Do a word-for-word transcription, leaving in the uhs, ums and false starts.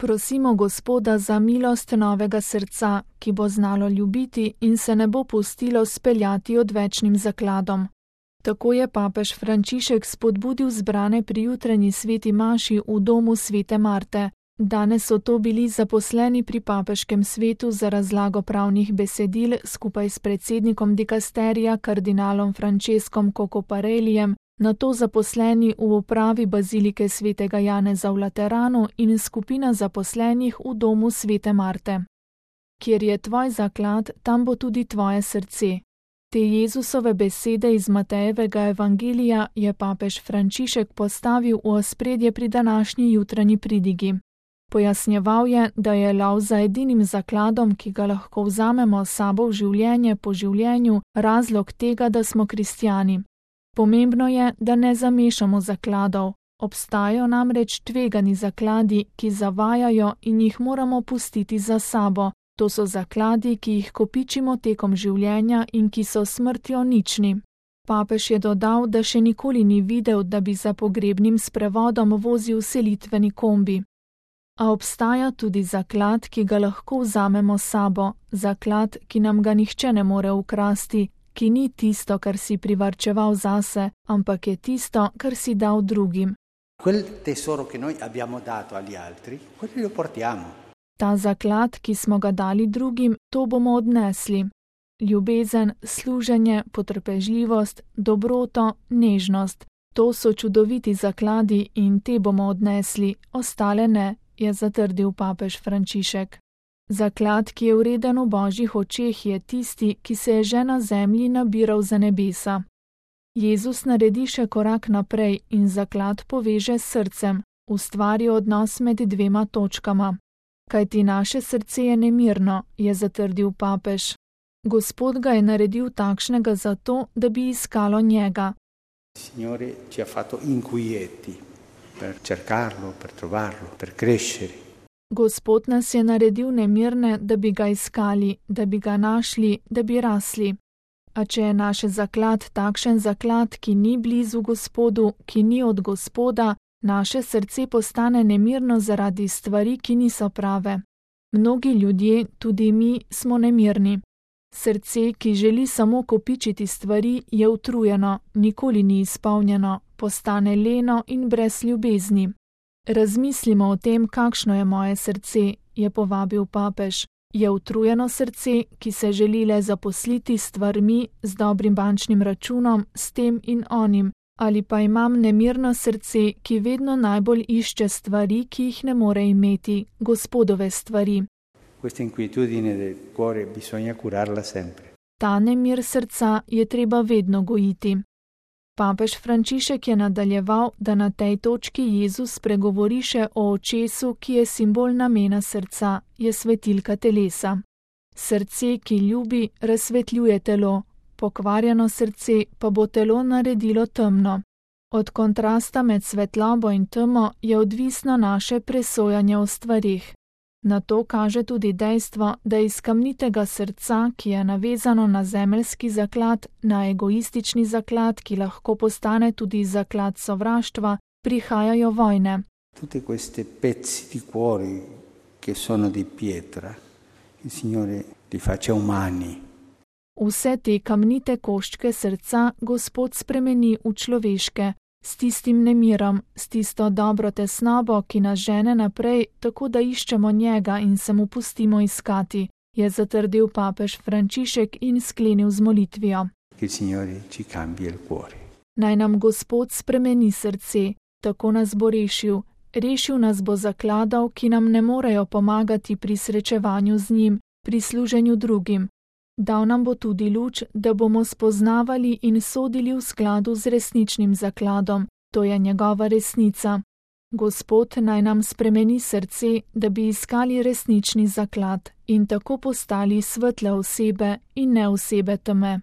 Prosimo Gospoda za milost novega srca, ki bo znalo ljubiti in se ne bo pustilo speljati odvečnim zakladom. Tako je papež Frančišek spodbudil zbrane pri jutranji sveti maši v domu svete Marte. Danes so to bili zaposleni pri papeškem svetu za razlago pravnih besedil skupaj s predsednikom dikasterija kardinalom Franceskom Cocoparellijem, nato zaposleni v upravi bazilike svetega Janeza v Lateranu in skupina zaposlenih v domu svete Marte. Kjer je tvoj zaklad, tam bo tudi tvoje srce. Te Jezusove besede iz Matejevega evangelija je papež Frančišek postavil v ospredje pri današnji jutranji pridigi. Pojasnjeval je, da je lov za edinim zakladom, ki ga lahko vzamemo s sabo v življenje po življenju, razlog tega, da smo kristjani. Pomembno je, da ne zamešamo zakladov. Obstajajo namreč tvegani zakladi, ki zavajajo in jih moramo pustiti za sabo. To so zakladi, ki jih kopičimo tekom življenja in ki so smrtjo nični. Papež je dodal, da še nikoli ni videl, da bi za pogrebnim sprevodom vozil selitveni kombi. A obstaja tudi zaklad, ki ga lahko vzamemo s sabo, zaklad, ki nam ga nihče ne more ukrasti, ki ni tisto, kar si privarčeval zase, ampak je tisto, kar si dal drugim. Quel tesoro che noi abbiamo dato agli altri, quello lo portiamo. Ta zaklad, ki smo ga dali drugim, to bomo odnesli. Ljubezen, služenje, potrpežljivost, dobroto, nežnost. To so čudoviti zakladi in te bomo odnesli, ostale ne, je zatrdil papež Frančišek. Zaklad, ki je vreden v božjih očeh, je tisti, ki se je že na zemlji nabiral za nebesa. Jezus naredi še korak naprej in zaklad poveže s srcem, ustvari odnos med dvema točkama. Kajti naše srce je nemirno, je zatrdil papež. Gospod ga je naredil takšnega zato, da bi iskalo njega. Signore ci ha fatto inquieti per cercarlo, per trovarlo, per crescere. Gospod nas je naredil nemirne, da bi ga iskali, da bi ga našli, da bi rasli. A če je naš zaklad takšen zaklad, ki ni blizu Gospodu, ki ni od Gospoda, naše srce postane nemirno zaradi stvari, ki niso prave. Mnogi ljudje, tudi mi, smo nemirni. Srce, ki želi samo kopičiti stvari, je utrujeno, nikoli ni izpolnjeno, postane leno in brez ljubezni. Razmislimo o tem, kakšno je moje srce, je povabil papež. Je utrujeno srce, ki se želi le zaposliti s stvarmi, z dobrim bančnim računom, s tem in onim, ali pa imam nemirno srce, ki vedno najbolj išče stvari, ki jih ne more imeti, Gospodove stvari. Questa inquietudine del cuore bisogna curarla sempre. Ta nemir srca je treba vedno gojiti. Papež Frančišek je nadaljeval, da na tej točki Jezus spregovori še o očesu, ki je simbol namena srca, je svetilka telesa. Srce, ki ljubi, razsvetljuje telo, pokvarjeno srce pa bo telo naredilo temno. Od kontrasta med svetlobo in temo je odvisno naše presojanje o stvarih. Na to kaže tudi dejstvo, da iz kamnitega srca, ki je navezano na zemeljski zaklad, na egoistični zaklad, ki lahko postane tudi zaklad sovraštva, prihajajo vojne. Tutte queste pezzi di cuore che sono di pietra, il Signore li faccia umani. Vse te kamnite koščke srca Gospod spremeni v človeške, s tistim nemirom, s tisto dobro tesnobo, ki nas žene naprej, tako da iščemo njega in se mu pustimo iskati, je zatrdil papež Frančišek in sklenil z molitvijo. Naj nam Gospod spremeni srce, tako nas bo rešil, rešil nas bo zakladov, ki nam ne morejo pomagati pri srečevanju z njim, pri služenju drugim. Dal nam bo tudi luč, da bomo spoznavali in sodili v skladu z resničnim zakladom, to je njegova resnica. Gospod naj nam spremeni srce, da bi iskali resnični zaklad in tako postali svetle osebe in ne osebe teme.